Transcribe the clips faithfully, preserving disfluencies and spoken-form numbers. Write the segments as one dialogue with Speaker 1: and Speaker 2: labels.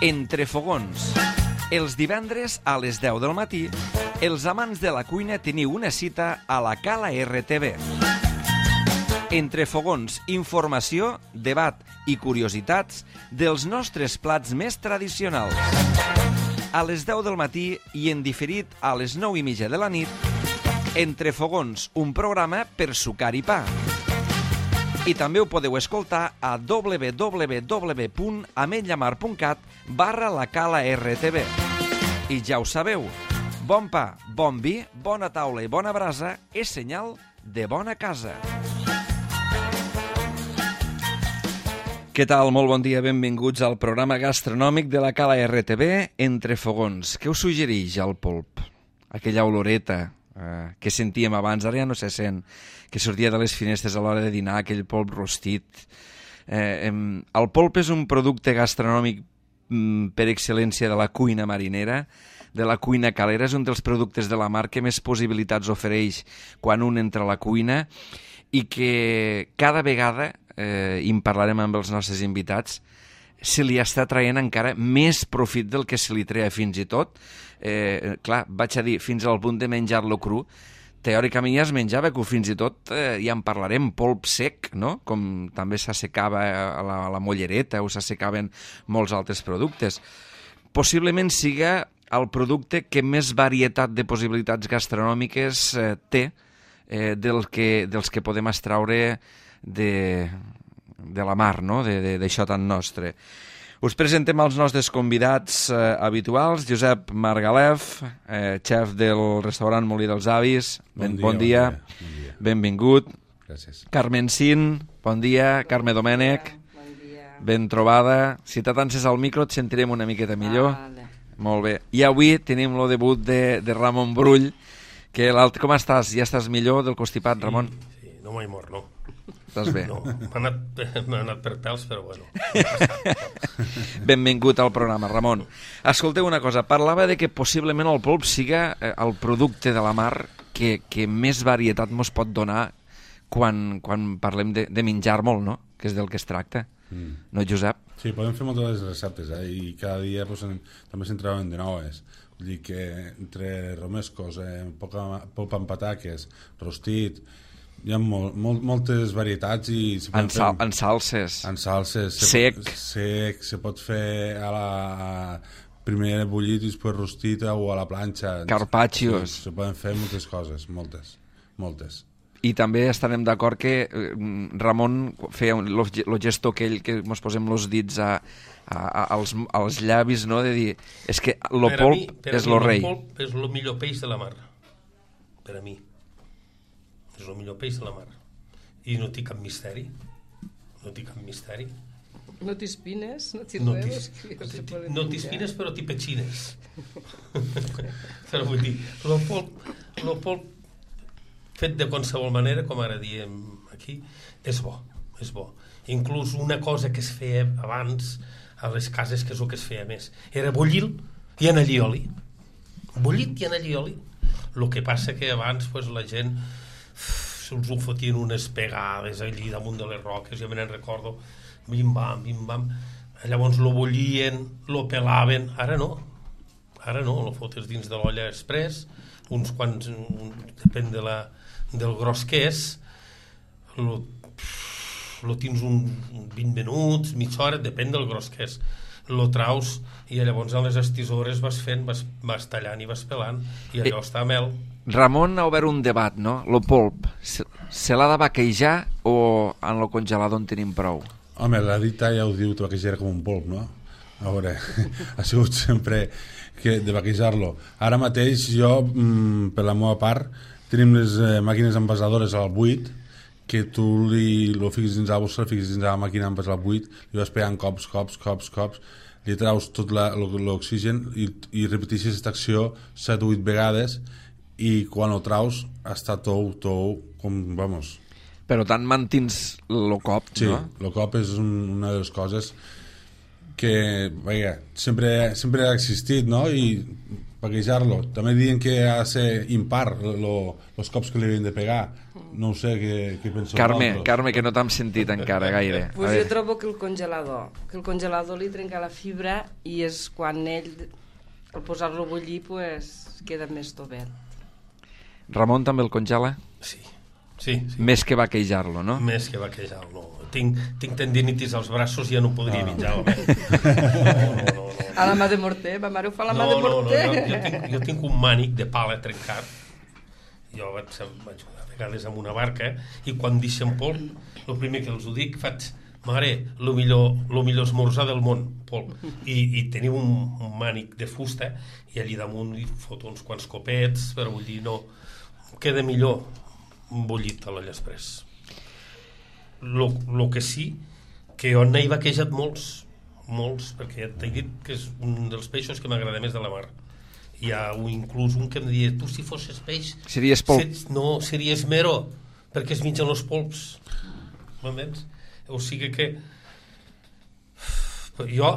Speaker 1: Entre fogons. Els divendres a les deu del matí, els amants de la cuina teniu una cita a la Cala R T V. Entre fogons, informació, debat i curiositats dels nostres plats més tradicionals. A les deu del matí i en diferit a les nou i mitja de la nit, Entre fogons, un programa per sucar i pa. I també ho podeu escoltar a w w w punt ametlla mar punt cat barra la Cala R T V. I ja ho sabeu, bon pa, bon vi, bona taula i bona brasa és senyal de bona casa. Què tal? Molt bon dia, benvinguts al programa gastronòmic de la Cala R T V, Entre fogons. Què us suggereix el polp? Aquella oloreta eh, que sentíem abans, ara ja no se sent, que sortia de les finestres a l'hora de dinar, aquell polp rostit. Eh, eh, el polp és un producte gastronòmic mm, per excel·lència de la cuina marinera, de la cuina calera. És un dels productes de la mar que més possibilitats ofereix quan un entra a la cuina i que cada vegada, eh, i en parlarem amb els nostres invitats, se li està traient encara més profit del que se li treia fins i tot. Eh, clar, vaig a dir, fins al punt de menjar-lo cru. Teòricament ja es menjava, que fins i tot eh, ja en parlarem, polp sec, no? Com també s'assecava a la, a la mollereta o s'assecaven molts altres productes. Possiblement siga el producte que més varietat de possibilitats gastronòmiques eh, té eh, del que, dels que podem extraure de, de la mar, no? D'això tan nostre. Us presentem els nostres convidats eh, habituals. Josep Margalef, eh, xef del restaurant Molí dels Avis. Ben, bon, dia, bon, dia. bon dia. Benvingut.
Speaker 2: Gràcies.
Speaker 1: Carmen Sin, bon dia. Carme Domènech.
Speaker 3: Bon dia.
Speaker 1: Ben trobada. Si t'atances al micro et sentirem una miqueta millor.
Speaker 3: Vale.
Speaker 1: Molt bé. I avui tenim el debut de, de Ramon Brull, que com estàs? Ja estàs millor del constipat, Ramon?
Speaker 2: Sí, sí, no m'he mort, no.
Speaker 1: Estàs bé?
Speaker 2: No, m'ha anat, anat per pèls, però bueno.
Speaker 1: Benvingut al programa, Ramon. Escolteu una cosa, parlava de que possiblement el polp siga el producte de la mar que, que més varietat mos pot donar quan, quan parlem de, de menjar molt, no? Que és del que es tracta. Mm. No, Josep?
Speaker 4: Sí, podem fer moltes receptes, eh? I cada dia pues, en, també se'n troben de noves. Vull dir que entre romescos, eh, poca, polpa amb pataques, rostit, hi ha molt, molt, moltes varietats i
Speaker 1: en, sal, fer, en salses
Speaker 4: en salses se
Speaker 1: sec
Speaker 4: pot, sec, se pot fer a la a primer bullit i després rostit o a la planxa,
Speaker 1: carpaccios,
Speaker 4: sí, se poden fer moltes coses, moltes moltes
Speaker 1: i també estarem d'acord que eh, Ramon feia el gesto aquell que ens posem els dits a, a, a, als, als llavis, no? De dir, és que el polp és el rei.
Speaker 2: El polp és el millor peix de la mar, per a mi. És el millor peix de la mar. I no té cap misteri. No té cap misteri.
Speaker 3: No té espines, no té
Speaker 2: no
Speaker 3: res.
Speaker 2: No té espines, però té petxines. Però vull dir, el polp, el polp fet de qualsevol manera, com ara diem aquí, és bo, és bo. Inclús una cosa que es feia abans a les cases, que és el que es feia més, era bullir i en allioli. Bullit i en allioli. El que passa que abans pues, la gent se'ls ho fotien unes pegades allí damunt de les roques, jo me n'en recordo, bim-bam, bim-bam, llavors lo bullien, lo pelaven, ara no, ara no, lo fotes dins de l'olla express, uns quants, un, depèn de la, del gros que és, lo, lo tens un, un vint minuts, mitja hora, depèn del gros que és, lo traus i llavors a les estisores vas fent, vas, vas tallant i vas pelant i allò eh, està a mel.
Speaker 1: Ramon ha obert un debat, no? Lo polp, se, se l'ha de vaquejar o en lo congelador en tenim prou?
Speaker 4: Home, la dita ja ho diu, te vaquejar com un polp, no? A veure, ha sigut sempre que de vaquejar-lo. Ara mateix jo, mm, per la meva part, tenim les eh, màquines envasadores al buit, que tu li, lo fiques dins la bossa, li fiques dins la màquina envasar al buit, li vas pegant cops, cops, cops, cops, li traus tot l'oxigen i, i repeteixes aquesta acció set o vuit vegades i quan ho traus està tou, tou, com, vamos...
Speaker 1: Però tant mantins el cop,
Speaker 4: sí,
Speaker 1: no?
Speaker 4: Sí, el cop és un, una de les coses que, vaja, sempre, sempre ha existit, no? I vaquejar-lo. També diuen que ha de ser impar, lo, los cops que li havien de pegar. No ho sé, què, què penseu
Speaker 1: Carme,
Speaker 4: vosaltres?
Speaker 1: Carme, que no t'hem sentit encara gaire. A
Speaker 3: Pues jo
Speaker 1: veure,
Speaker 3: trobo que el congelador, que el congelador li trenca la fibra i és quan ell, al posar-lo a bullir, pues, queda més tovet.
Speaker 1: Ramon també el congela?
Speaker 2: Sí, sí, sí.
Speaker 1: Més que vaquejar-lo, no?
Speaker 2: Més que vaquejar, no. Tinc, tinc tendinitis als braços i ja no podria menjar-lo. No, no, no, no.
Speaker 3: A la mà de morter, ma mare ho fa a la
Speaker 2: No,
Speaker 3: mà de
Speaker 2: no, no,
Speaker 3: morter.
Speaker 2: jo, jo, tinc, jo tinc un mànic de pala trencat. Jo vaig, vaig a vegades amb una barca i quan deixen polp, el primer que els ho dic, faig, mare, el millor, lo millor esmorzar del món, polp. I, i teniu un, un mànic de fusta i allí damunt hi foto uns quants copets per bullir, no. Queda millor bullit a l'olla express. Lo, lo que sí, que jo n'he vaquejat molts, molts, perquè ja t'he dit que és un dels peixos que m'agrada més de la mar. Hi ha un, inclús un que em diria, tu si fossis peix...
Speaker 1: Series polp.
Speaker 2: Ser, no, series mero, perquè es mengen els polps. M'entens? O sigui que... Jo,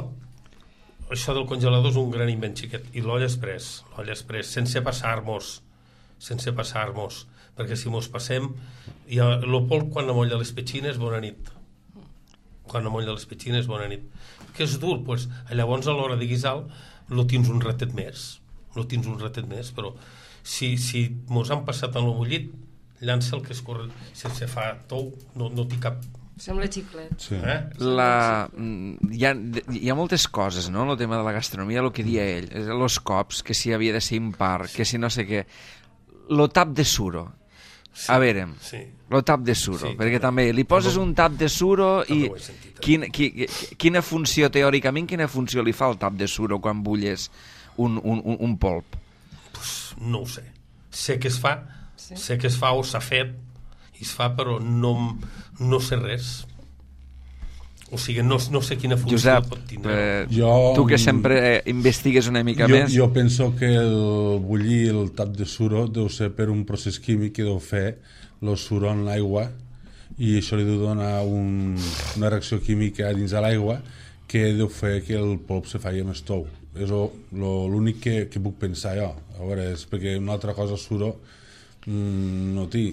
Speaker 2: això del congelador és un gran invent xiquet. I l'olla express, l'olla express, sense passar-nos, sense passar-nos, perquè si mos passem... I el polp, quan amolla les petxines, bona nit. Quan amolla les petxines, bona nit. Que és dur, doncs, llavors a l'hora de guisar lo tens un ratet més. No tens un ratet més, però si, si mos han passat en el bullit, llança el que es corre, si se fa tou, no, no té cap...
Speaker 3: Sembla xiclet.
Speaker 4: Sí.
Speaker 2: Eh?
Speaker 1: La... Hi ha, hi ha moltes coses, no?, en el tema de la gastronomia, el que dia ell, els cops, que si havia de ser impar, que si no sé què... Lo tap de suro.
Speaker 2: Sí,
Speaker 1: a veure,
Speaker 2: sí.
Speaker 1: lo tap de suro,
Speaker 2: Sí,
Speaker 1: perquè
Speaker 2: també-
Speaker 1: també li poses
Speaker 2: també-
Speaker 1: un tap de suro i
Speaker 2: també ho he sentit, eh?
Speaker 1: quin, qui, quina funció, teòricament, quina funció li fa el tap de suro quan bulles un, un, un, un polp?
Speaker 2: Pues no ho sé. Sé que es fa,
Speaker 3: Sí.
Speaker 2: sé que es fa o s'ha fet, i es fa, però no, no sé res. O sigui, no, no sé quina funció
Speaker 1: Josep,
Speaker 2: pot tindre.
Speaker 1: eh,
Speaker 4: Jo,
Speaker 1: tu que sempre eh, investigues una mica
Speaker 4: jo,
Speaker 1: més...
Speaker 4: jo penso que el bullir el tap de suro deu ser per un procés químic que deu fer el suro en l'aigua i això li deu donar un, una reacció química dins de l'aigua que deu fer que el polp se faci més tou. És lo- lo- l'únic que, que puc pensar jo. A veure, és perquè una altra cosa suro mm, no té.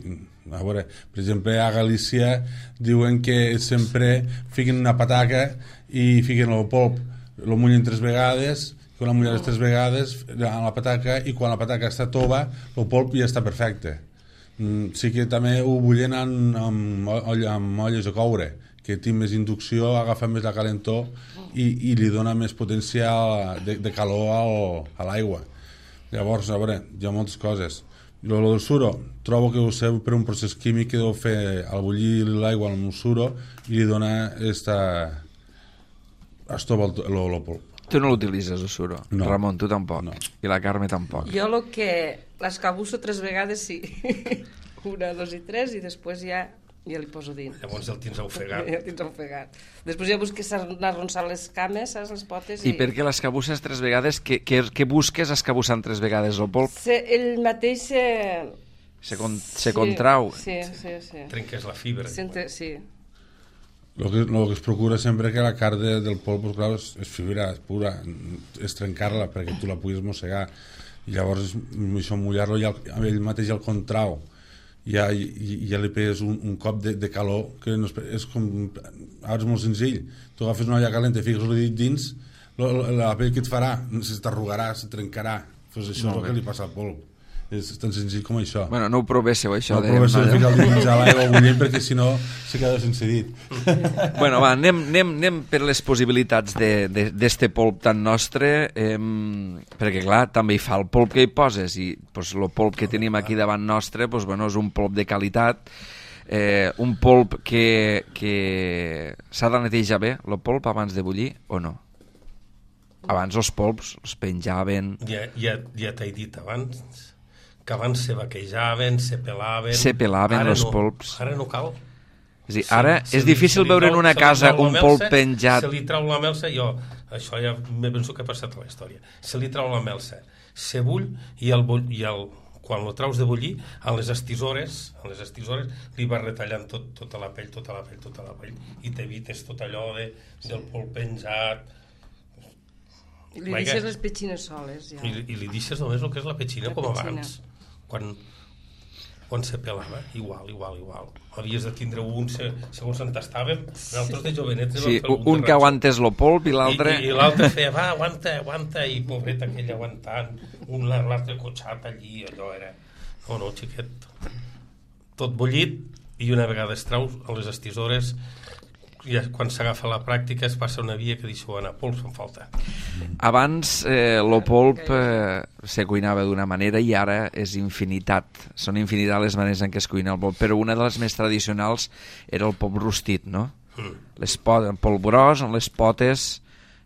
Speaker 4: A veure, per exemple, a Galícia diuen que sempre fiquen una pataca i fiquen el polp, lo mullen tres vegades, quan la mullen les tres vegades a la pataca, i quan la pataca està tova, el polp ja està perfecte. Mm, sí que també ho bullen amb, amb, olla, amb olles de coure, que té més inducció, agafa més la calentor i, i li dona més potència de, de calor al, a l'aigua. Llavors, a veure, hi ha moltes coses. Lo, lo del suro, trobo que ho sé per un procés químic que deu fer al bullir l'aigua amb el suro i li dona esta... estova el, lo, lo polp.
Speaker 1: Tu no l'utilitzes, el suro.
Speaker 4: No.
Speaker 1: Ramon, tu tampoc.
Speaker 4: No.
Speaker 1: I la Carme tampoc.
Speaker 3: Jo el que l'escabusso tres vegades sí. Una, dos i tres, i després ja, ja li poso dins.
Speaker 2: Llavors el tens ofegat.
Speaker 3: Ja el tens ofegat. Després ja busques arronsar les cames, saps, les potes.
Speaker 1: I per què l'escabusses tres vegades? Què, què, què busques escabussant tres vegades el polp?
Speaker 3: Se, ell mateix se...
Speaker 1: Se, con, se contrau.
Speaker 3: Sí, sí, sí.
Speaker 2: Trenques la fibra.
Speaker 3: Sente, sí.
Speaker 4: El que, lo que es procura sempre que la carn de, del polp, pues, clar, és, és fibra pura, és trencar-la perquè tu la puguis mossegar. I llavors això mullar-lo i el, ell mateix el contrau. Ja, i, ja li pegues un, un cop de, de calor que no és, és com... Ara és molt senzill. Tu agafes una olla calenta i fiques el dit dins, lo, lo, la pell que et farà se t'arrugarà, se trencarà. Pues això és el que li passa al polp. És tan senzill com això.
Speaker 1: Bueno, no ho provesseu, això.
Speaker 4: No
Speaker 1: dèiem,
Speaker 4: proveixeu
Speaker 1: no?
Speaker 4: de ficar el dit dins a l'aigua bullent perquè si no se queda sense dit.
Speaker 1: Bueno, va, anem, anem, anem per les possibilitats d'este polp tan nostre, eh, perquè, clar, també hi fa el polp que hi poses, i pues, el polp que tenim aquí davant nostre pues, bueno, és un polp de qualitat, eh, un polp que, que s'ha de netejar bé, el polp, abans de bullir, o no? Abans els polps els penjaven...
Speaker 2: Ja, ja, ja t'he dit abans que abans se vaquejaven, se pelaven...
Speaker 1: Se pelaven
Speaker 2: Ara
Speaker 1: els
Speaker 2: no,
Speaker 1: polps.
Speaker 2: Ara no cal.
Speaker 1: És a dir, ara
Speaker 2: Se- se
Speaker 1: és
Speaker 2: li-
Speaker 1: difícil
Speaker 2: se li
Speaker 1: veure en
Speaker 2: trau-
Speaker 1: una
Speaker 2: se li
Speaker 1: casa
Speaker 2: trau la
Speaker 1: un
Speaker 2: melsa,
Speaker 1: polp penjat...
Speaker 2: Se li trau la melsa, jo, això ja me penso que ha passat a la història. Se li trau la melsa, se bull i, el, bull, i el, quan lo traus de bullir, a les estisores, a les estisores li vas retallant tot, tota la pell, tota la pell, tota la pell, i t'evites tot allò de, del polp penjat...
Speaker 3: I li
Speaker 2: Vaja.
Speaker 3: deixes les petxines soles, ja.
Speaker 2: I, i li deixes només el que és la petxina,
Speaker 3: La
Speaker 2: com
Speaker 3: petxina.
Speaker 2: abans. Quan, quan se pelava, igual, igual, igual. Havies de tindre un, segons on estàvem, nosaltres de jovenets...
Speaker 1: Sí, un que aguantés lo polp i l'altre...
Speaker 2: I, i l'altre feia, va, aguanta, aguanta, i pobret aquell aguantant, un l'altre cotxat allí, allò era... No, no, xiquet, tot bullit, i una vegada es trau a les estisores, ja quan s'agafa la pràctica es passa una via que deixo anar, polp se'n falta.
Speaker 1: Abans eh, lo polp eh, se cuinava d'una manera i ara és infinitat. Són infinitat les maneres en què es cuina el polp, però una de les més tradicionals era el polp rostit, no? Mm. Les pot, el polp gros, amb les potes,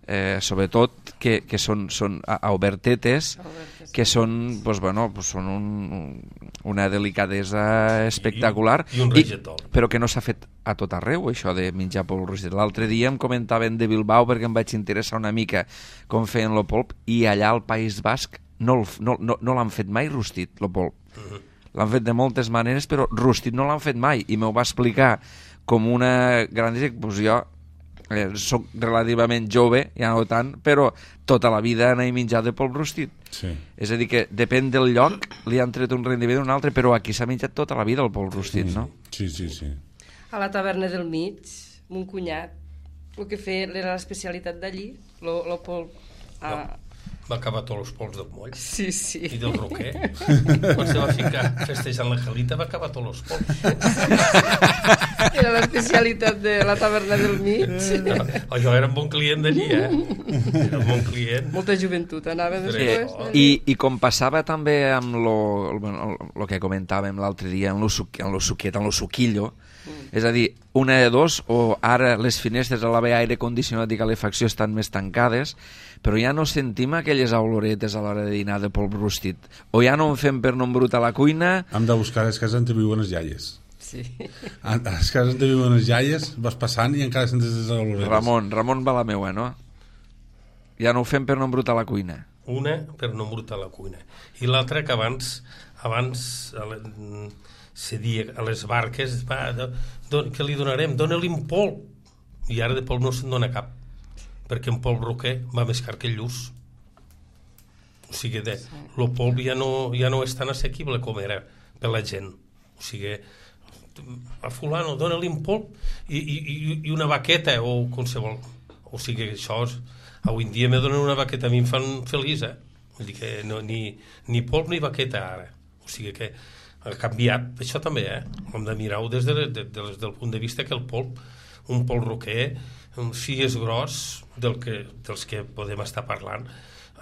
Speaker 1: eh, sobretot, que, que són, són a, a obertetes, Obertes. que són, pues, bueno, pues, són un, una delicadesa espectacular,
Speaker 2: I, i un regetol.
Speaker 1: I, però que no s'ha fet a tot arreu, això de menjar polp rostit. L'altre dia em comentaven de Bilbao perquè em vaig interessar una mica com feien el polp, i allà al País Basc no, no, no, no l'han fet mai rostit, el polp. Uh-huh. L'han fet de moltes maneres, però rostit no l'han fet mai, i m'ho va explicar com una gran... Pues jo eh, soc relativament jove, ja no tant, però tota la vida anava a menjar de polp rostit.
Speaker 4: Sí. És
Speaker 1: a dir que depèn del lloc, li han tret un rendiment d'un altre, però aquí s'ha menjat tota la vida el polp rostit, no?
Speaker 4: Sí, sí, sí.
Speaker 3: A la taverna del mig, mon cunyat, el que feia era l'especialitat d'allí, el polp... A...
Speaker 2: No. Va acabar tots els pols del moll.
Speaker 3: Sí, sí.
Speaker 2: I del roquer. Quan se va ficar festejant la Jalita va acabar tots els pols.
Speaker 3: Era l'especialitat de la taverna del mig.
Speaker 2: No, jo era un bon client d'allí, eh? Era un bon client.
Speaker 3: Molta joventut anava després.
Speaker 1: Eh, i, I com passava també amb lo, lo, lo que comentàvem l'altre dia, amb lo, suc, amb lo suquet, amb lo suquillo, mm. és a dir, una de dos, o ara les finestres a l'haver aire condicionat i calefacció estan més tancades, però ja no sentim aquelles oloretes a l'hora de dinar de polp rostit. O ja no en fem per no embrutar la cuina...
Speaker 4: Hem de buscar les cases on viuen les iaies.
Speaker 3: Sí.
Speaker 4: A les cases on viuen les iaies vas passant i encara sentes les oloretes.
Speaker 1: Ramon, Ramon va la meua, no? Ja no ho fem per no embrutar la cuina.
Speaker 2: Una, per no embrutar la cuina. I l'altra, que abans, abans se dia a les barques, va, don, què li donarem? Dóna-li un polp. I ara de polp no se'n dona cap, perquè un polp roquer va més car que el lluç. O sigui, de, el polp ja no, ja no és tan assequible com era per la gent. O sigui, a fulano, dóna-li un polp i, i, i una baqueta o qualsevol. O sigui, això és, avui en dia me donen una baqueta, a mi em fan feliç, eh? Vull dir que no, ni, ni polp ni baqueta ara. O sigui que ha canviat, això també, eh? Hem de mirar-ho des, de, de, de, des del punt de vista que el polp, un polp roquer, si és gros, del que, dels que podem estar parlant,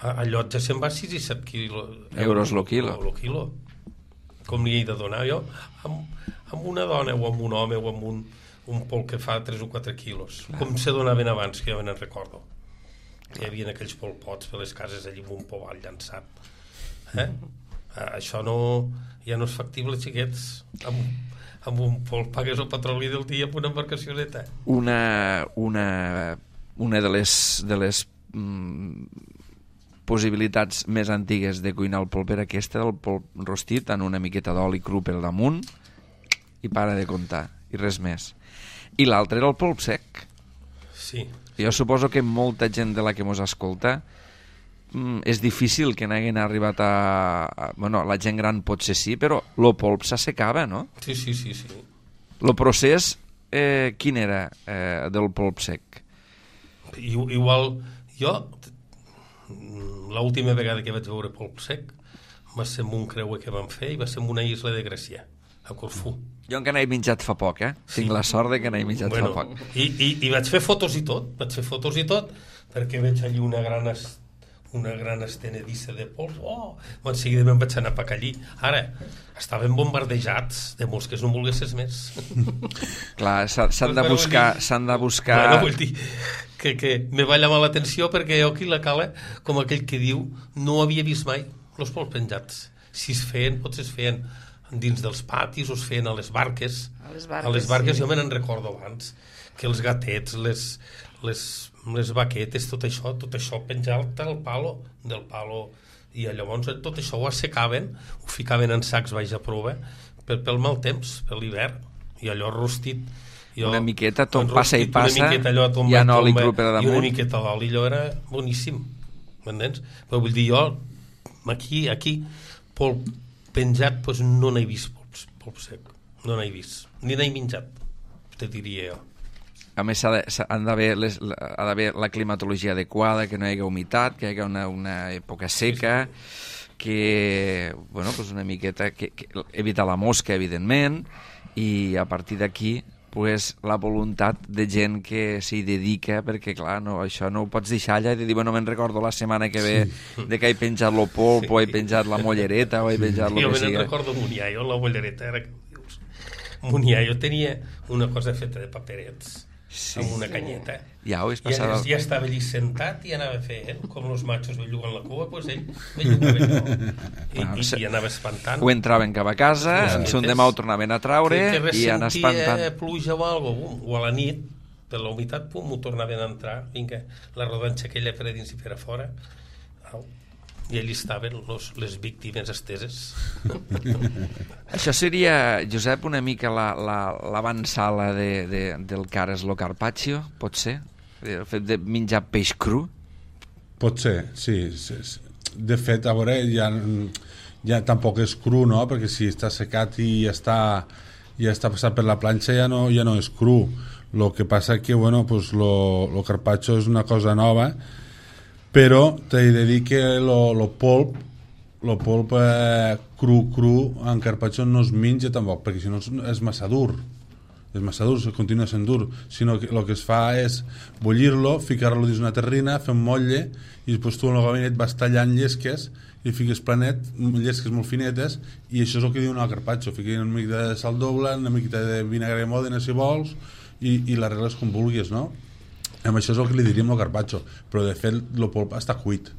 Speaker 2: allò ja se'n va sis i set quilo,
Speaker 1: euros lo quilo.
Speaker 2: Lo quilo. Com li he de donar jo amb, amb una dona o amb un home o amb un, un polp que fa tres o quatre quilos. Clar. Com se donaven abans, que jo me'n recordo. Que hi havia aquells polpots per les cases allí amb un poval llançat. Eh? Això no, ja no és factible, xiquets, amb amb un polp pagues el petroli del dia amb una embarcacioneta.
Speaker 1: Una, una, una de les, de les mm, possibilitats més antigues de cuinar el polp era aquesta, el polp rostit en una miqueta d'oli cru per damunt i para de comptar, i res més. I l'altre era el polp sec.
Speaker 2: Sí.
Speaker 1: Jo suposo que molta gent de la que mos escolta mm, és difícil que n'hagin arribat a, a... Bueno, la gent gran potser sí, però el polp s'assecava, no?
Speaker 2: Sí, sí, sí, sí.
Speaker 1: El procés, eh, quin era eh, del polp sec?
Speaker 2: I, igual, jo, l'última vegada que vaig veure polp sec va ser en un creuer que vam fer i va ser en una isla de Grècia, a Corfú.
Speaker 1: Jo encara n'he menjat fa poc, eh? Sí. Tinc la sort de que n'he menjat bueno, fa poc.
Speaker 2: I, i, I vaig fer fotos i tot, vaig fer fotos i tot, perquè veig allí una gran... Est... una gran estenedissa de pols, oh, en seguida me'n vaig anar per allí. Ara, estaven bombardejats de mosques, no volguessis més.
Speaker 1: Clar, s'han de buscar... S'han de buscar...
Speaker 2: Bueno, vull dir que, que me va llamar l'atenció perquè jo aquí la cala, com aquell que diu, no havia vist mai els pols penjats. Si es feien, potser es feien dins dels patis o es feien a les barques.
Speaker 3: A les barques,
Speaker 2: a les barques
Speaker 3: sí.
Speaker 2: Jo me n'en recordo abans, que els gatets, les... les les baquetes, tot això, tot això penjat del palo, del palo, i llavors tot això ho assecaven, ho ficaven en sacs baix a prova per, pel mal temps, per l'hivern, i allò rostit. Jo,
Speaker 1: una miqueta, tot passa i passa,
Speaker 2: allò, tomba,
Speaker 1: hi ha oli cru per damunt.
Speaker 2: I una miqueta d'oli, allò era boníssim, m'entens? Però vull dir, jo, aquí, aquí, polp penjat, doncs no n'he vist polps, polp sec. No n'he vist. Ni n'he menjat, te diria jo.
Speaker 1: A més, ha de- s'ha- han d'haver les- la- ha d'haver la climatologia adequada, que no hi hagi humitat, que hi hagi una, una època seca, que, bueno, pues una miqueta, que, que evitar la mosca, evidentment, i a partir d'aquí, pues, la voluntat de gent que s'hi dedica, perquè, clar, no, això no ho pots deixar allà i de dir, bueno, me'n recordo la setmana que ve sí. de que he penjat lo polp, sí. o he penjat la mollereta, o he penjat lo
Speaker 2: Jo
Speaker 1: que
Speaker 2: me'n
Speaker 1: sigui.
Speaker 2: recordo Muniaio, la bollereta, era que dius. Muniaio tenia una cosa feta de paperets,
Speaker 1: Sí.
Speaker 2: amb una canyeta.
Speaker 1: Ja ho és
Speaker 2: I
Speaker 1: passat.
Speaker 2: ja, ja estava allí sentat i anava fent, com els machos belluguen la cua, doncs ell bellugava allò. I,
Speaker 1: Bueno,
Speaker 2: i,
Speaker 1: se-
Speaker 2: i anava espantant.
Speaker 1: Ho entraven cap a casa,
Speaker 2: Sí,
Speaker 1: en
Speaker 2: sí.
Speaker 1: son demà ho tornaven a traure
Speaker 2: que, que
Speaker 1: i anar
Speaker 2: ressentia
Speaker 1: espantant.
Speaker 2: pluja o algo, bum, o a la nit, per la humitat, pum, ho tornaven a entrar, vinga, la rodanxa aquella per a dins i per a fora. Au. I allí estaven los, les víctimes esteses.
Speaker 1: Això seria, Josep, una mica la- la- l'avançala de, de, del cares lo carpaccio, pot ser? El fet de menjar peix cru?
Speaker 4: Pot ser, sí, sí, sí. De fet, a veure, ja, ja tampoc és cru, no? Perquè si està secat i ja està, ja està passat per la planxa ja no, ja no és cru. Lo que passa que, bueno, pues lo, lo carpaccio és una cosa nova, però t'he de dir que lo, lo polp lo polp eh, cru cru en carpaccio no es menja tampoc, perquè si no és, és massa dur, és massa dur, continua sent dur, sinó que el que es fa és bullir-lo, ficar-lo dins una terrina, fer un motlle, i després tu en el gabinet vas tallant llesques i fiques planet, llesques molt finetes, i això és el que diuen al carpaccio, fiques una mica de sal doble, una mica de vinagre de mòdena si vols, i, i l'arregles com vulguis, no? Amb això és el que li diríem al carpaccio, però de fet el polp està cuit,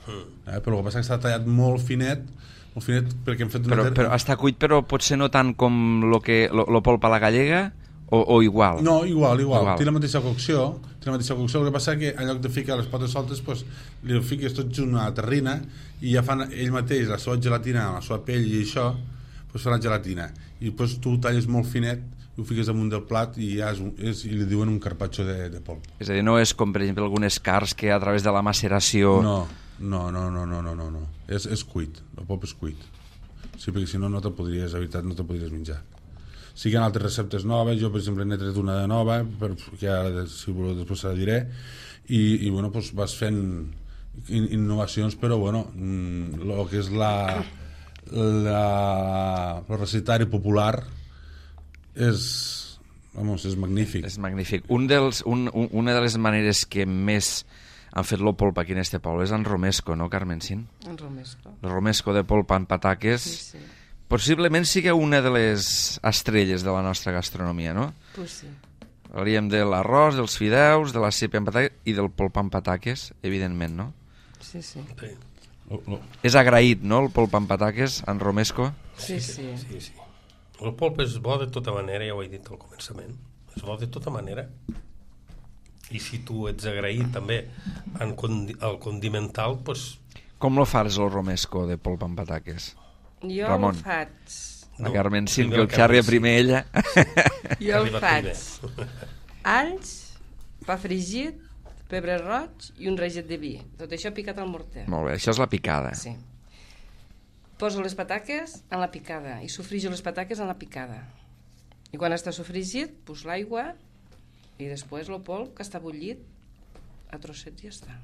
Speaker 4: eh? Però el que passa és que està tallat molt finet, molt finet perquè hem fet una...
Speaker 1: Però,
Speaker 4: ter-
Speaker 1: però està cuit, però potser no tant com lo, que, lo, lo polp a la gallega, o, o igual?
Speaker 4: No, igual, igual,
Speaker 1: Igual.
Speaker 4: té la mateixa cocció, té la mateixa cocció, el que passa que en lloc de ficar les potes soltes, pues, li fiques tot junt a la terrina i ja fan ell mateix la seva gelatina, la seva pell i això, pues fa la gelatina, i després tu ho talles molt finet, i ho fiques damunt del plat i, ja és, un- és, i li diuen un carpaccio de, de polp.
Speaker 1: És a dir, no és com, per exemple, algunes carns que a través de la maceració...
Speaker 4: No, no, no, no, no, no, no, no. És, és cuit, el polp és cuit. Sí, perquè si no, no te podries, la veritat, no te podries menjar. Sí que hi ha altres receptes noves, jo per exemple n'he tret una de nova, per, que ara si voleu després la diré, i, i bueno, doncs vas fent in, innovacions, però bueno, el que és la, la, el recetari popular és, vamos, és magnífic.
Speaker 1: És magnífic. Un dels, un, un, una de les maneres que més han fet lo polp aquí en este poble és en romesco, no, Carmencín?
Speaker 3: En romesco.
Speaker 1: El romesco de polp amb pataques.
Speaker 3: Sí, sí.
Speaker 1: Possiblement sigui una de les estrelles de la nostra gastronomia, no?
Speaker 3: Pues sí.
Speaker 1: Parlaríem de l'arròs, dels fideus, de la sípia amb pataques i del polp amb pataques, evidentment, no?
Speaker 3: Sí, sí.
Speaker 2: Sí,
Speaker 4: Lo- lo-
Speaker 1: És agraït, no?, el polp amb pataques, en romesco.
Speaker 3: Sí, sí.
Speaker 2: sí, sí. El polp és bo de tota manera, ja ho he dit al començament. És bo de tota manera. I si tu ets agraït també en condi el condimental, doncs...
Speaker 1: Com lo fas, el romesco de polp amb pataques?
Speaker 3: Jo
Speaker 1: Ramon.
Speaker 3: ho faig...
Speaker 1: La
Speaker 2: No,
Speaker 1: Carmencín,
Speaker 2: primer
Speaker 1: que
Speaker 2: el
Speaker 1: el xarri a
Speaker 2: Carmencín.
Speaker 1: primer ella.
Speaker 3: Jo ho
Speaker 2: Arriba
Speaker 3: faig.
Speaker 2: primer.
Speaker 3: Alls, pa fregit, pebre roig i un reget de vi. Tot això picat al morter.
Speaker 1: Molt bé, això és la picada.
Speaker 3: Sí. Poso les pataques en la picada i sofrijo les pataques en la picada. I quan està sofregit, pues l'aigua i després el polp que està bullit a trossets i ja està.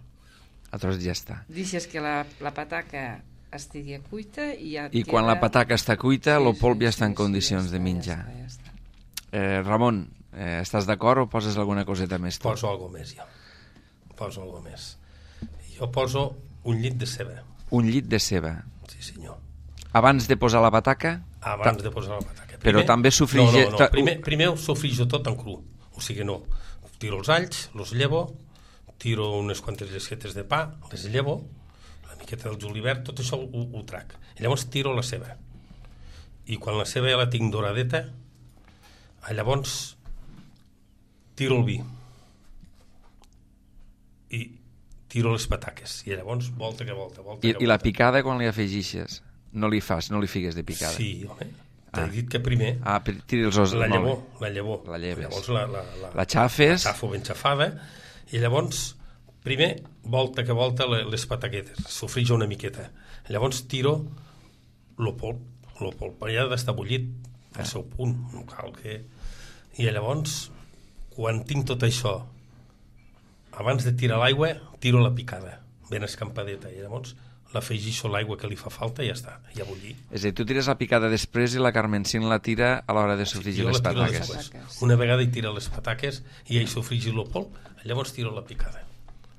Speaker 1: A tros ja està.
Speaker 3: Deixes que la, la pataca estigui cuita i ja...
Speaker 1: I quan la pataca està cuita, el polp ja està en condicions de menjar.
Speaker 3: Ja està, ja està.
Speaker 1: Eh, Ramon, eh, estàs d'acord o poses alguna coseta més? Tu?
Speaker 2: Poso alguna més, jo. Poso alguna més. Jo poso un llit de ceba.
Speaker 1: Un llit de ceba.
Speaker 2: Sí, senyor.
Speaker 1: Abans de posar la pataca?
Speaker 2: Abans de posar la pataca.
Speaker 1: Però també sofrige-
Speaker 2: No, no, no. Primer, primer ho sofrijo tot en cru. O sigui, no. Tiro els alls, los llevo, tiro unes quantes llesquetes de pa, les llevo, la miqueta del julivert, tot això ho, ho trac. I llavors tiro la ceba. I quan la ceba ja la tinc doradeta, llavors tiro el vi. I tiro les pataques. I llavors volta que volta, volta
Speaker 1: I,
Speaker 2: que volta.
Speaker 1: I la picada quan li afegixes? No li fas, no li figues de picada?
Speaker 2: Sí, home. T'he
Speaker 1: Ah.
Speaker 2: dit que primer
Speaker 1: Ah, pri- tiri els os.
Speaker 2: la
Speaker 1: molt
Speaker 2: llavor,
Speaker 1: bé.
Speaker 2: la llavor.
Speaker 1: La lleves.
Speaker 2: Llavors la, la, la,
Speaker 1: La xafes.
Speaker 2: la xafo ben xafada i llavors primer volta que volta le- les pataquetes, sofrijo una miqueta. Llavors tiro lo polp, lo polp ja ha d'estar bullit al seu punt, no cal que... I llavors, quan tinc tot això, abans de tirar l'aigua, tiro la picada, ben escampadeta, i llavors l'afegixo l'aigua que li fa falta i ja està, ja bullir.
Speaker 1: És a dir, tu tires la picada després i la Carmencín la tira a l'hora de sofregir
Speaker 2: sí,
Speaker 1: les pataques.
Speaker 3: pataques.
Speaker 2: Una vegada hi tira les pataques i ell sofregir el polp, llavors tiro la picada.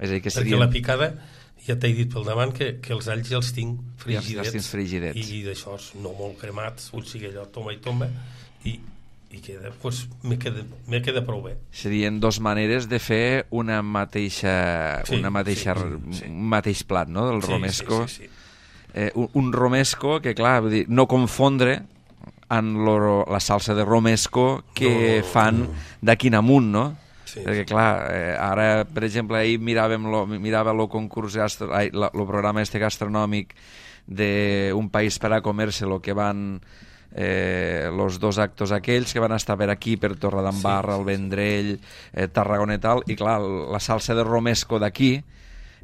Speaker 1: És a dir, que
Speaker 2: Perquè
Speaker 1: serien...
Speaker 2: la picada, ja t'he dit pel davant que, que els alls ja els tinc frigidets,
Speaker 1: Ja els tens frigidets.
Speaker 2: i d'això no molt cremats, vull sigui allò tomba i tomba, i, i queda, pues, me queda, me queda prou bé.
Speaker 1: Serien dos maneres de fer una mateixa,
Speaker 2: Sí,
Speaker 1: una mateixa
Speaker 2: sí, sí.
Speaker 1: un mateix plat, no?, del
Speaker 2: Sí,
Speaker 1: romesco.
Speaker 2: sí, sí, sí.
Speaker 1: Eh, un, un romesco que, clar, vull dir, no confondre amb lo, la salsa de romesco que
Speaker 2: No, no, no,
Speaker 1: fan
Speaker 2: no.
Speaker 1: d'aquí en amunt, no?
Speaker 2: Sí,
Speaker 1: Perquè, clar, eh, ara, per exemple, ahir miràvem lo, mirava el concurs, gastro, ai, el programa este gastronòmic d'un país per a comer-se, lo que van eh, los dos actos aquells que van estar per aquí, per Torredembarra, sí, el Vendrell, eh, Tarragona i tal, i clar, la salsa de romesco d'aquí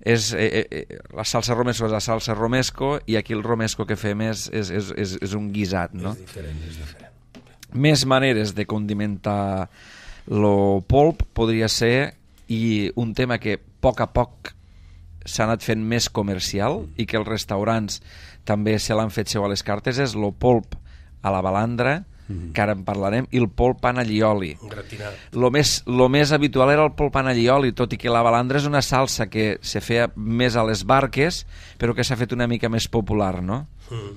Speaker 1: és, eh, eh, la salsa romesco és la salsa romesco i aquí el romesco que fem és, és, és, és, és un guisat, no?
Speaker 2: És diferent, és diferent.
Speaker 1: Més maneres de condimentar lo polp podria ser, i un tema que a poc a poc s'ha anat fent més comercial i que els restaurants també se l'han fet seu a les cartes, és lo polp a la balandra, mm-hmm. que ara en parlarem, i el polp en allioli.
Speaker 2: Gratinat.
Speaker 1: Lo més, lo més habitual era el polp en allioli, tot i que la balandra és una salsa que se feia més a les barques, però que s'ha fet una mica més popular, no?
Speaker 2: Mm.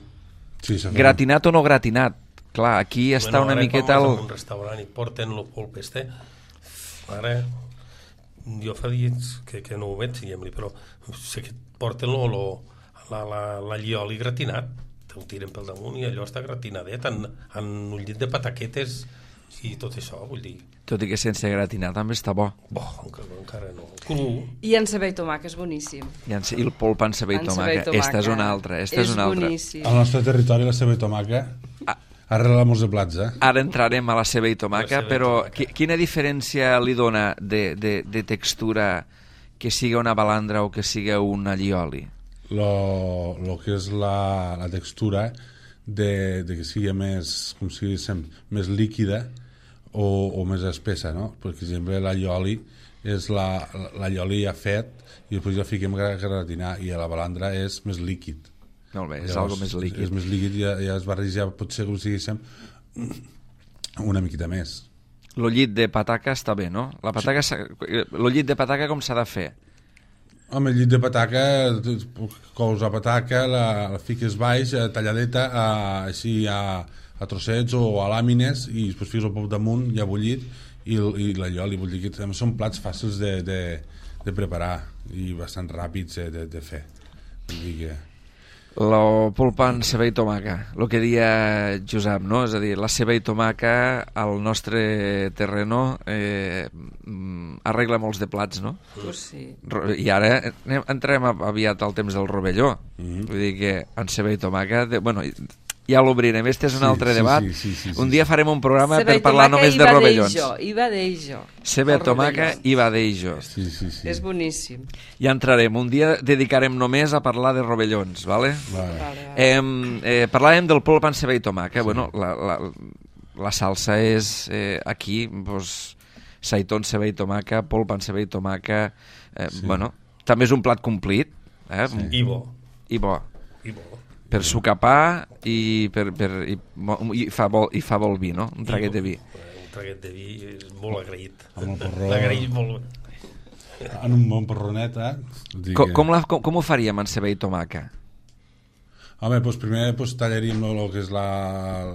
Speaker 4: Sí, s'ha fet.
Speaker 1: Gratinat o no gratinat? Clar, aquí està
Speaker 2: Bueno,
Speaker 1: una
Speaker 2: ara
Speaker 1: miqueta...
Speaker 2: quan vas
Speaker 1: El...
Speaker 2: a un restaurant i porten el polp este, ara jo fa dies que, que no ho veig, diguem-li, però sé que porten lo, lo, la, la, la llioli gratinat, te ho tiren pel damunt i allò està gratinadet en, en un llit de pataquetes i tot això, vull dir,
Speaker 1: Tot i que sense gratinar també està bo.
Speaker 2: bo, encara, encara no, cru.
Speaker 3: I en ceba i tomàquet és boníssim.
Speaker 1: I, en, i el polp en ceba i
Speaker 3: En ceba i
Speaker 1: tomàquet.
Speaker 3: tomàquet.
Speaker 1: Esta és una altra. Esta és,
Speaker 3: És
Speaker 1: una altra.
Speaker 3: boníssim.
Speaker 4: Al nostre territori la ceba i tomaca
Speaker 1: Ah.
Speaker 4: arrela molts de plats, eh?
Speaker 1: Ara entrarem a la ceba i tomàquet,
Speaker 2: La ceba i
Speaker 1: però
Speaker 2: tomàquet.
Speaker 1: qui, quina diferència li dona de, de, de textura que siga una balandra o que siga un allioli?
Speaker 4: Lo, lo que és la, la textura de, de que sigui més, com si diguéssim, més líquida o, o més espessa, no? Per exemple, l'allioli és la, l'allioli ja fet i després ja fiquem a gratinar, i a la balandra és més líquid.
Speaker 1: Molt bé, és
Speaker 4: Llavors,
Speaker 1: algo més líquid.
Speaker 4: És més líquid i ja, ja es barreja, potser com si diguéssim, una miqueta més.
Speaker 1: Lo llit de pataca està bé, no? La pataca, s'ha- lo llit de pataca com s'ha de fer?
Speaker 4: Home, el llit de pataca, cous la pataca, la, la fiques baix, eh, talladeta, a, així a, a trossets o a làmines, i després fiques el pop damunt, ja bullit, i, i l'allioli. Vull dir que també són plats fàcils de, de, de preparar i bastant ràpids de, de, de fer. Vull dir que...
Speaker 1: Lo polpa en ceba i tomaca, el que dia Josep, no? És a dir, la ceba i tomaca al nostre terreno eh, mm, arregla molts de plats, no?
Speaker 3: Pues sí.
Speaker 1: Ro- I ara anem, entrem a- aviat al temps del rovelló.
Speaker 4: Mhm.
Speaker 1: Vull dir que en ceba i tomaca... De, bueno, ja l'obrirem, este és un
Speaker 4: Sí,
Speaker 1: altre
Speaker 4: sí,
Speaker 1: debat.
Speaker 4: sí, sí, sí, sí,
Speaker 1: un dia
Speaker 4: sí.
Speaker 1: farem un programa
Speaker 3: Ceba
Speaker 1: per
Speaker 3: i
Speaker 1: parlar
Speaker 3: tomàquet
Speaker 1: només
Speaker 3: i
Speaker 1: de
Speaker 3: va
Speaker 1: rovellons.
Speaker 3: d'eijo, i va d'eijo.
Speaker 1: Ceba,
Speaker 3: El
Speaker 1: tomaca
Speaker 3: rovelló.
Speaker 1: i badeijo.
Speaker 4: Sí, sí, sí.
Speaker 3: És boníssim.
Speaker 1: Ja entrarem. Un dia dedicarem només a parlar de rovellons, vale?
Speaker 4: Vale.
Speaker 3: Vale, vale.
Speaker 1: Eh, eh, parlàvem del polp en ceba i tomaca. Bueno, la, la, la salsa és eh, aquí, pues, saitón, ceba i tomaca, polp en ceba i tomaca. Eh,
Speaker 4: Sí.
Speaker 1: Bueno, també és un plat complit, eh?
Speaker 4: Sí.
Speaker 2: I bo,
Speaker 1: I bo.
Speaker 2: i bo.
Speaker 1: Per sucapar i, per, per, i, mo- i, fa vol, i fa vol vi, no? Un traguet de vi.
Speaker 2: Un traguet de vi és molt agraït.
Speaker 4: Amb el porró.
Speaker 2: L'agraït molt.
Speaker 4: En un bon porronet, eh? Vull dir
Speaker 1: Com,
Speaker 4: que-
Speaker 1: com, la, com, com ho faríem en ceba i tomaca?
Speaker 4: Home, doncs primer doncs, tallaríem el que és la,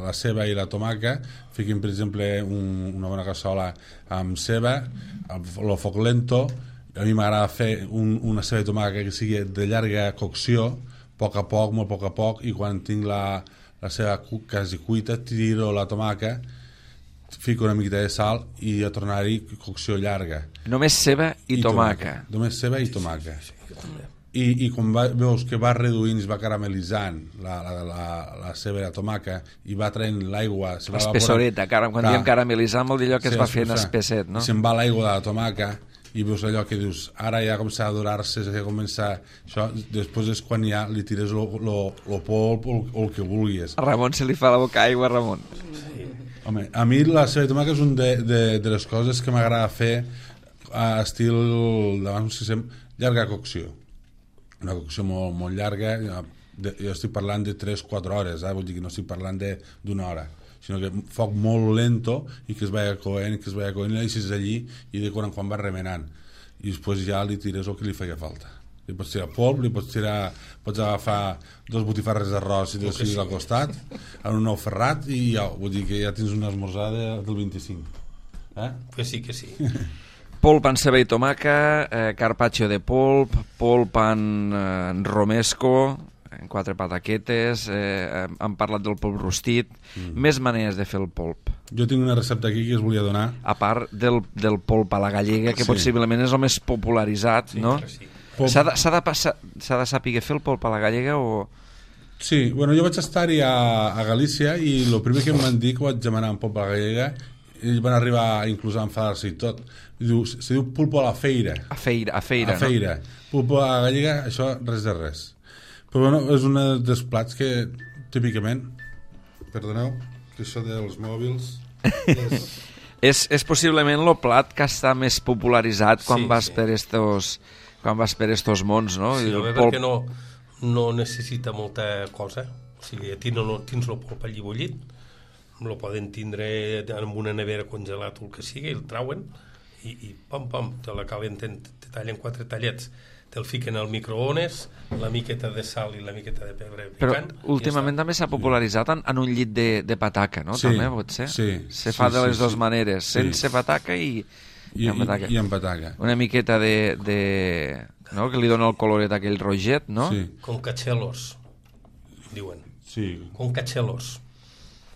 Speaker 4: la ceba i la tomaca, fiquem, per exemple, un, una bona cassola amb ceba, el foc lento. A mi m'agrada fer un, una ceba i tomaca que sigui de llarga cocció, a poc a poc, molt a poc a poc, i quan tinc la, la ceba cu, quasi cuita, tiro la tomaca, fico una miqueta de sal i a tornar-hi cocció llarga.
Speaker 1: Només ceba i, tomaca.
Speaker 4: Només ceba i tomaca. I, i quan va, veus que va reduint, es va caramelitzant la, la, la, la ceba i la tomaca i va traient l'aigua, se va
Speaker 1: Espessoreta, cara, quan
Speaker 4: Clar.
Speaker 1: diem caramelitzar vol dir allò que
Speaker 4: Sí,
Speaker 1: es va fent
Speaker 4: espessar.
Speaker 1: espesset, no?
Speaker 4: I se'n va l'aigua de la tomaca i veus allò que dius, ara ja comença a adorar-se, ja comença això, després és quan ja li tires el polp o el que vulguis.
Speaker 1: A Ramon se li fa la boca aigua, Ramon.
Speaker 2: Sí.
Speaker 4: Home, a mi la ceba de tomàquet és un de, de, de les coses que m'agrada fer a estil d'abans, si sem, llarga cocció. Una cocció molt, molt llarga, de, jo estic parlant de tres quatre hores, eh? Vull dir que no estic parlant d'una hora, sinó que foc molt lento i que es vaya coent, que es vaya coent, i la deixes allí i de quan en quan va remenant. I després ja li tires el que li feia falta. Li pots tirar polp, li pots tirar, pots agafar dos botifarres d'arròs i dos fills al costat, en un ou ferrat, i ja, vull dir que ja tens una esmorzada del vint-i-cinc. Eh?
Speaker 2: Que sí, que sí.
Speaker 1: Polp en ceba i tomaca, eh, carpaccio de polp, polp en, eh, en romesco, en quatre pataquetes, eh, hem parlat del polp rostit, mm. més maneres de fer el polp.
Speaker 4: Jo tinc una recepta aquí que us volia donar.
Speaker 1: A part del, del polp a la gallega, que
Speaker 4: sí.
Speaker 1: possiblement és el més popularitzat,
Speaker 2: Sí,
Speaker 1: no?
Speaker 2: sí.
Speaker 1: S'ha de, s'ha de, passar, s'ha de saber fer el polp a la gallega o...
Speaker 4: Sí, bueno, jo vaig estar-hi a, a Galícia i el primer que em van dir que vaig demanar un polp a la gallega, ells van arribar inclús a enfadar-se i tot. Diu, se diu pulpo a la feira.
Speaker 1: A feira, a feira,
Speaker 4: a feira.
Speaker 1: no?
Speaker 4: Pulpo a la gallega, això res de res. Però bueno, és un dels plats que típicament, perdoneu, que això dels mòbils és...
Speaker 1: és, és possiblement el plat que està més popularitzat quan
Speaker 2: Sí,
Speaker 1: vas
Speaker 2: sí.
Speaker 1: per estos... quan vas per estos mons, no?
Speaker 2: Sí,
Speaker 1: I el
Speaker 2: home,
Speaker 1: polp...
Speaker 2: perquè no, no necessita molta cosa. O sigui, a ti no, no tens el polp allí bullit, el poden tindre en una nevera congelat o el que sigui, el trauen i, i pam, pam, te la calenten, te tallen quatre tallets, te'l fiquen al microones, la miqueta de sal i la miqueta de pebre picant.
Speaker 1: Però últimament també s'ha popularitzat en, en un llit de, de pataca, no?
Speaker 4: Sí,
Speaker 1: també pot ser?
Speaker 4: sí,
Speaker 1: Se
Speaker 4: sí,
Speaker 1: fa de
Speaker 4: sí,
Speaker 1: les dues
Speaker 4: sí.
Speaker 1: maneres,
Speaker 4: Sí.
Speaker 1: sense pataca i...
Speaker 4: I,
Speaker 1: amb pataca.
Speaker 4: i, i amb pataca.
Speaker 1: Una miqueta de, de... no? Que li dona el coloret aquell roget, no?
Speaker 4: Sí,
Speaker 2: Con cachelos, diuen.
Speaker 4: sí.
Speaker 2: Con cachelos,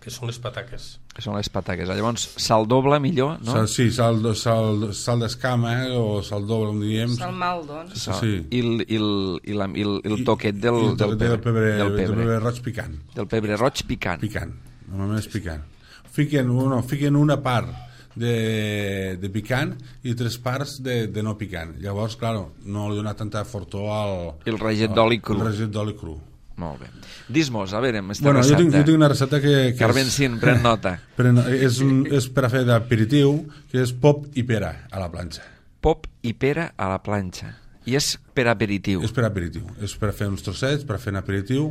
Speaker 2: que són les pataques.
Speaker 1: Que són les pataques. Llavors, sal doble millor, no?
Speaker 4: Sal, sí, sal, sal, sal d'escama, eh, o sal doble, com diem.
Speaker 3: Sal mal, doncs.
Speaker 1: Sal.
Speaker 4: sí.
Speaker 1: I, el, i, el, i, la, i el, i el toquet del,
Speaker 4: I el
Speaker 1: del,
Speaker 4: toquet
Speaker 1: pebre,
Speaker 4: del pebre,
Speaker 1: del
Speaker 4: del
Speaker 1: pebre.
Speaker 4: pebre roig picant.
Speaker 1: Del pebre roig picant.
Speaker 4: Picant, normalment és picant. Fiquen, no, fiquen una part de, de picant i tres parts de, de no picant. Llavors, clar, no li dona tanta fortor al...
Speaker 1: I el reget d'oli cru.
Speaker 4: El reget d'oli cru.
Speaker 1: Molt bé. Dis-mos, a veure, amb esta
Speaker 4: Bueno, jo
Speaker 1: recepta.
Speaker 4: tinc, jo tinc una recepta que... que
Speaker 1: Carmen
Speaker 4: és,
Speaker 1: Cin, pren nota.
Speaker 4: però no, és, un, és per a fer d'aperitiu, que és pop i pera a la planxa.
Speaker 1: Pop i pera a la planxa. I és per aperitiu.
Speaker 4: És per aperitiu. És per a fer uns trossets, per a fer un aperitiu.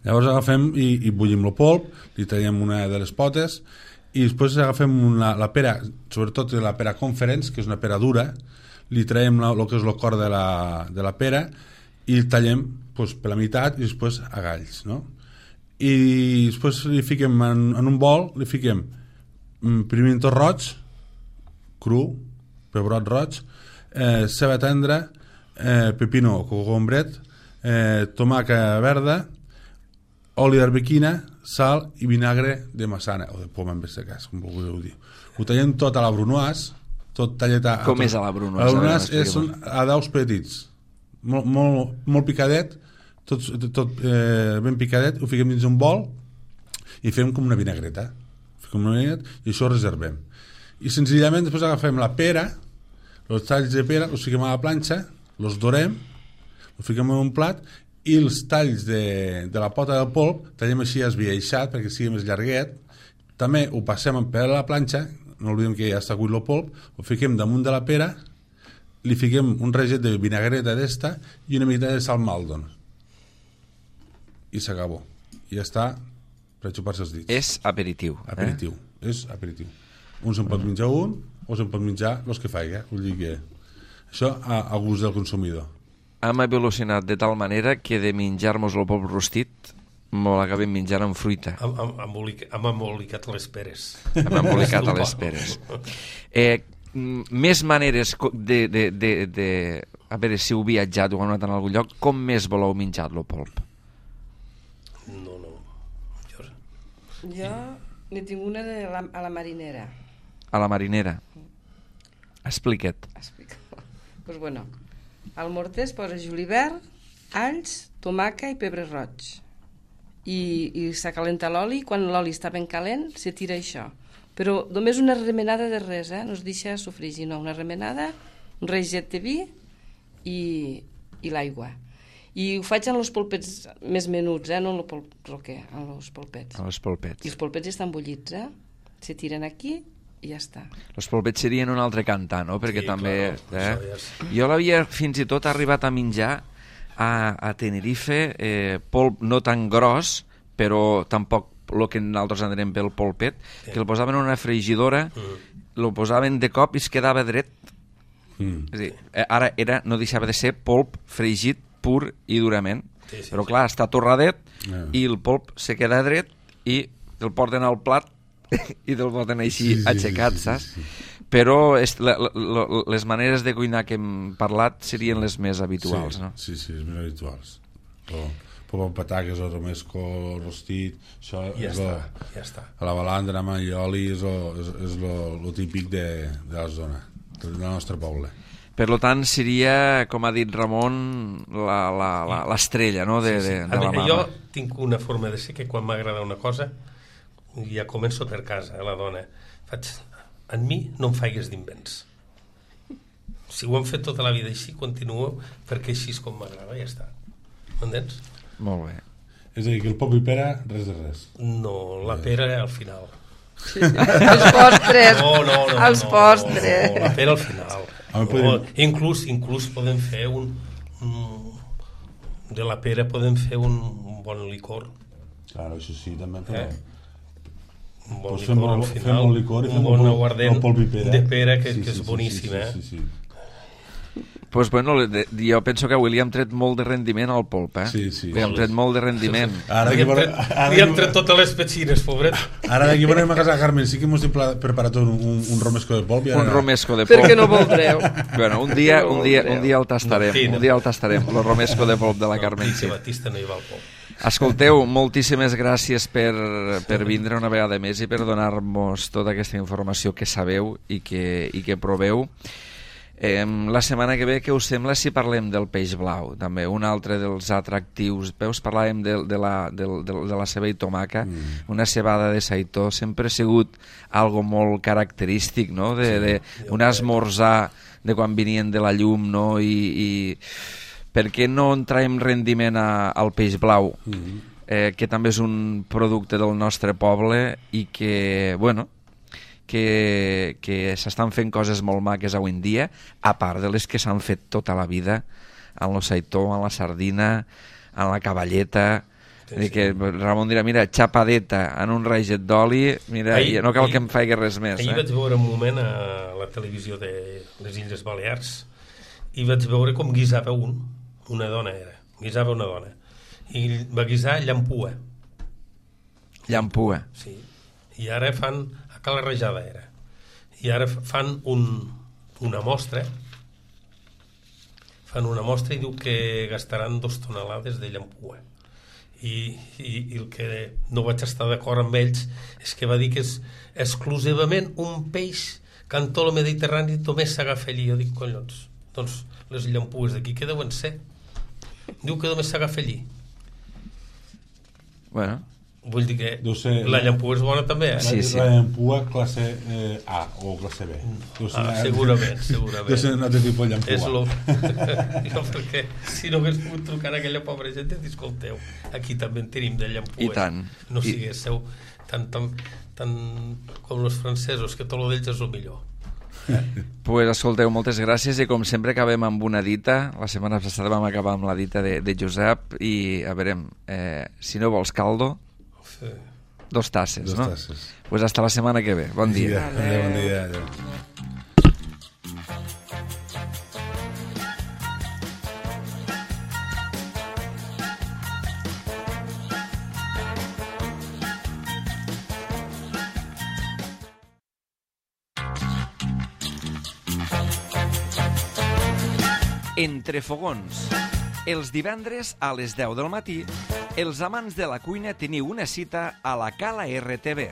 Speaker 4: Llavors agafem i, i bullim el polp, li tallem una de les potes i després agafem una, la pera, sobretot la pera Conference, que és una pera dura, li traiem el que és el cor de la, de la pera i el tallem pues, per la meitat i després a galls, no? I després li fiquem en, en un bol, li fiquem pimiento roig, cru, pebrot roig, eh, ceba tendra, eh, pepino o cogombret, eh, tomaca verda, oli d'arbequina, sal i vinagre de massana, o de poma en aquest cas, com vulgueu dir. Ho tallem tot a la brunoise, tot tallet a...
Speaker 1: Com
Speaker 4: tot,
Speaker 1: és a la brunoise?
Speaker 4: A la
Speaker 1: A veure,
Speaker 4: brunoise és
Speaker 1: explica-m'ho.
Speaker 4: a daus petits, molt, molt, molt picadet, tot, tot eh, ben picadet, ho fiquem dins un bol i fem com una vinagreta. Fiquem una vinagreta i això ho reservem. I senzillament després agafem la pera, els talls de pera, els fiquem a la planxa, els dorem, els fiquem en un plat i els talls de, de la pota del polp tallem així esbiaixat perquè sigui més llarguet. També ho passem per la planxa, no oblidem que ja està cuit el polp, ho fiquem damunt de la pera, li fiquem un reget de vinagreta d'esta i una mica de sal Maldon i s'acabó. I ja està per xupar-se els dits.
Speaker 1: És aperitiu.
Speaker 4: Aperitiu, eh? És aperitiu. Un se'n pot menjar un o se'n pot menjar els que faig, vull dir que això a, a gust del consumidor.
Speaker 1: Hem evolucionat de tal manera que de menjar-nos el polp rostit m'ho l'acabem menjant amb fruita.
Speaker 2: Hem, hem, embolic, hem embolicat les peres.
Speaker 1: Hem embolicat a les peres. Eh, m- més maneres co- de, de, de, de... A veure, si heu viatjat o heu anat en algun lloc, com més voleu menjar el polp?
Speaker 2: No, no. Jo...
Speaker 3: Jo n'he tingut una de la, a la marinera.
Speaker 1: A la marinera. Explica't.
Speaker 3: Explica. Pues bueno, al morter es posa julivert, alls, tomaca i pebre roig. I, i s'acalenta l'oli, quan l'oli està ben calent se tira això. Però només una remenada de res, eh? No es deixa sofregir, no, una remenada un reget de vi i, i l'aigua. I ho faig en els polpets més menuts, eh? No en el polp roquer, en els polpets.
Speaker 1: En els polpets.
Speaker 3: I els polpets estan bullits, eh? Se tiren aquí i ja està.
Speaker 1: Els polpets serien un altre cantar, no? Perquè
Speaker 2: Sí,
Speaker 1: també...
Speaker 2: claro,
Speaker 1: eh?
Speaker 2: això ja és-
Speaker 1: Jo l'havia fins i tot arribat a menjar a, a Tenerife, eh, polp no tan gros, però tampoc el que nosaltres anirem pel polpet,
Speaker 2: Sí.
Speaker 1: que el posaven en una fregidora,
Speaker 2: Mm.
Speaker 1: el posaven de cop i es quedava dret.
Speaker 4: Mm.
Speaker 1: És a dir, eh, ara era, no deixava de ser polp fregit pur i durament,
Speaker 2: Sí, sí,
Speaker 1: però
Speaker 2: sí.
Speaker 1: clar, està torradet
Speaker 4: Ah.
Speaker 1: i el polp se queda dret i el porten al plat i te'l porten així
Speaker 4: Sí, sí,
Speaker 1: aixecat,
Speaker 4: sí, sí,
Speaker 1: saps?
Speaker 4: sí, sí.
Speaker 1: Però és, la, la, la, les maneres de cuinar que hem parlat serien les més habituals,
Speaker 4: sí,
Speaker 1: no?
Speaker 4: Sí, sí, les més habituals. O, pop amb pataques, o romesco, rostit, això
Speaker 2: Ja
Speaker 4: és
Speaker 2: està,
Speaker 4: lo,
Speaker 2: ja està.
Speaker 4: a la balandra, amb i oli, és lo, és, és lo, lo típic de, de la zona, del nostre poble.
Speaker 1: Per lo tant, seria, com ha dit Ramon, la- la- la- l'estrella, no?, de, de, de
Speaker 2: A
Speaker 1: la
Speaker 2: mi,
Speaker 1: mama.
Speaker 2: jo tinc una forma de ser que quan m'agrada una cosa ja començo per casa, a la dona. Faig, en mi no em faigues d'invents. Si ho hem fet tota la vida així, continuo perquè així és com m'agrada, ja està. M'entens?
Speaker 1: Molt bé.
Speaker 4: És a dir, que el pop i pera, res de res.
Speaker 2: No, la pera al final.
Speaker 3: Els postres.
Speaker 2: No, no, no.
Speaker 3: Els
Speaker 2: no,
Speaker 3: postres.
Speaker 2: No, la pera al final.
Speaker 4: A mi
Speaker 2: No,
Speaker 4: podem-
Speaker 2: inclús, inclús podem fer un, un... De la pera podem fer un, un bon licor.
Speaker 4: Claro, això sí, també, però...
Speaker 2: Eh? Un bon
Speaker 4: Pues
Speaker 2: licor
Speaker 4: fem
Speaker 2: al
Speaker 4: el- fem
Speaker 2: final,
Speaker 4: el licor i
Speaker 2: un
Speaker 4: fem
Speaker 2: bon
Speaker 4: el pol-
Speaker 2: aguardent
Speaker 4: el polp i pera.
Speaker 2: de pera que,
Speaker 4: Sí,
Speaker 2: que
Speaker 4: sí,
Speaker 2: és
Speaker 4: sí,
Speaker 2: boníssim,
Speaker 4: sí,
Speaker 2: eh?
Speaker 4: sí, sí, sí.
Speaker 1: Pues bueno, de- jo penso que avui li hem tret molt de rendiment al polp, eh?
Speaker 4: Sí, sí.
Speaker 1: Li hem tret molt de rendiment.
Speaker 4: Ara
Speaker 2: Li
Speaker 4: d'aquí
Speaker 2: hem
Speaker 4: veure-
Speaker 2: tret,
Speaker 4: ara
Speaker 2: li hem
Speaker 4: d'aquí-
Speaker 2: tret totes les petxines, pobret.
Speaker 4: Ara d'aquí veurem a casa de Carmen, sí que hemos preparat un, un, un romesco de polp. I ara...
Speaker 1: Un romesco de polp.
Speaker 3: Perquè no voldreu.
Speaker 1: Bueno, un dia,
Speaker 3: No
Speaker 1: un dia,
Speaker 3: voldreu.
Speaker 1: un dia el tastarem,
Speaker 2: Sí, no.
Speaker 1: un dia el tastarem, el romesco de polp de la Carmen.
Speaker 2: Sí, Batista no hi va al pop.
Speaker 1: Escolteu, moltíssimes gràcies per, per vindre una vegada més i per donar-nos tota aquesta informació que sabeu i que, i que proveu. Eh, la setmana que ve, què us sembla si parlem del peix blau? També un altre dels atractius. Veus, parlàvem de, de, la, de, de, de la ceba i tomaca, mm. una cebada de saitó, sempre ha sigut algo molt característic, no? De, de, un esmorzar de quan venien de la llum, no? I, i per què no en traiem rendiment a, al peix blau? Mm. Eh, que també és un producte del nostre poble i que, bueno, que, que s'estan fent coses molt maques avui en dia, a part de les que s'han fet tota la vida en el saitó, en la sardina, en la cavalleta.
Speaker 2: Sí,
Speaker 1: Sí,
Speaker 2: sí.
Speaker 1: que Ramon dirà, mira, xapadeta en un raget d'oli, mira,
Speaker 2: Ahir-
Speaker 1: ahir, no cal
Speaker 2: ahir-
Speaker 1: que em faci res més.
Speaker 2: Ahir
Speaker 1: Eh?
Speaker 2: vaig veure un moment a la televisió de les Illes Balears i vaig veure com guisava un, una dona era, guisava una dona, i va guisar llampua,
Speaker 1: Llampua.
Speaker 2: sí, i ara fan, a Cala Rajada era, i ara fan un, una mostra, fan una mostra i diu que gastaran dos tonelades de llampua. I, i, i el que no vaig estar d'acord amb ells és que va dir que és exclusivament un peix que en tot el Mediterrani només s'agafa allí. Jo dic, collons, doncs les llampues d'aquí què deuen ser? Diu que només s'agafa allí.
Speaker 1: Bueno,
Speaker 2: Vull dir que
Speaker 4: Deu ser-
Speaker 2: la llampua és bona també, eh?
Speaker 1: Sí, sí.
Speaker 4: La llampua classe eh, A o classe B. Deu ser
Speaker 2: Ah,
Speaker 4: una-
Speaker 2: segurament, segurament.
Speaker 4: Deu ser un altre tipus de llampua.
Speaker 2: És lo... jo perquè si no hagués pogut trucar a aquella pobra gent i dir, escolteu, aquí també en tenim de llampues.
Speaker 1: I tant.
Speaker 2: No
Speaker 1: I-
Speaker 2: siguéssiu tan, tan, tan com els francesos, que tot lo d'ells és el millor.
Speaker 1: pues escolteu, moltes gràcies i com sempre acabem amb una dita. La setmana passada vam acabar amb la dita de, de Josep i a veure, eh, si no vols caldo,
Speaker 2: Sí.
Speaker 1: dos tasses,
Speaker 4: Dos
Speaker 1: no?
Speaker 4: tasses.
Speaker 1: Pues hasta la setmana que ve. Bon dia.
Speaker 4: Adéu, bon dia. Adéu.
Speaker 1: Entre fogons. Els divendres a les deu del matí, els amants de la cuina teniu una cita a la Cala R T V.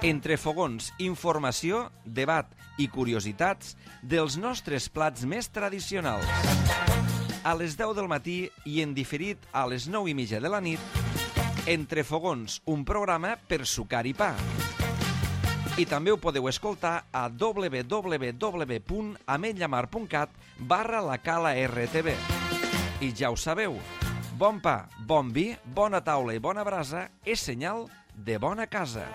Speaker 1: Entre fogons, informació, debat i curiositats dels nostres plats més tradicionals. A les deu del matí i en diferit a les nou i mitja de la nit, Entre fogons, un programa per sucar i pa. I també ho podeu escoltar a www punt ametlllamar punt cat barra la cala R T V. I ja ho sabeu, bon pa, bon vi, bona taula i bona brasa és senyal de bona casa.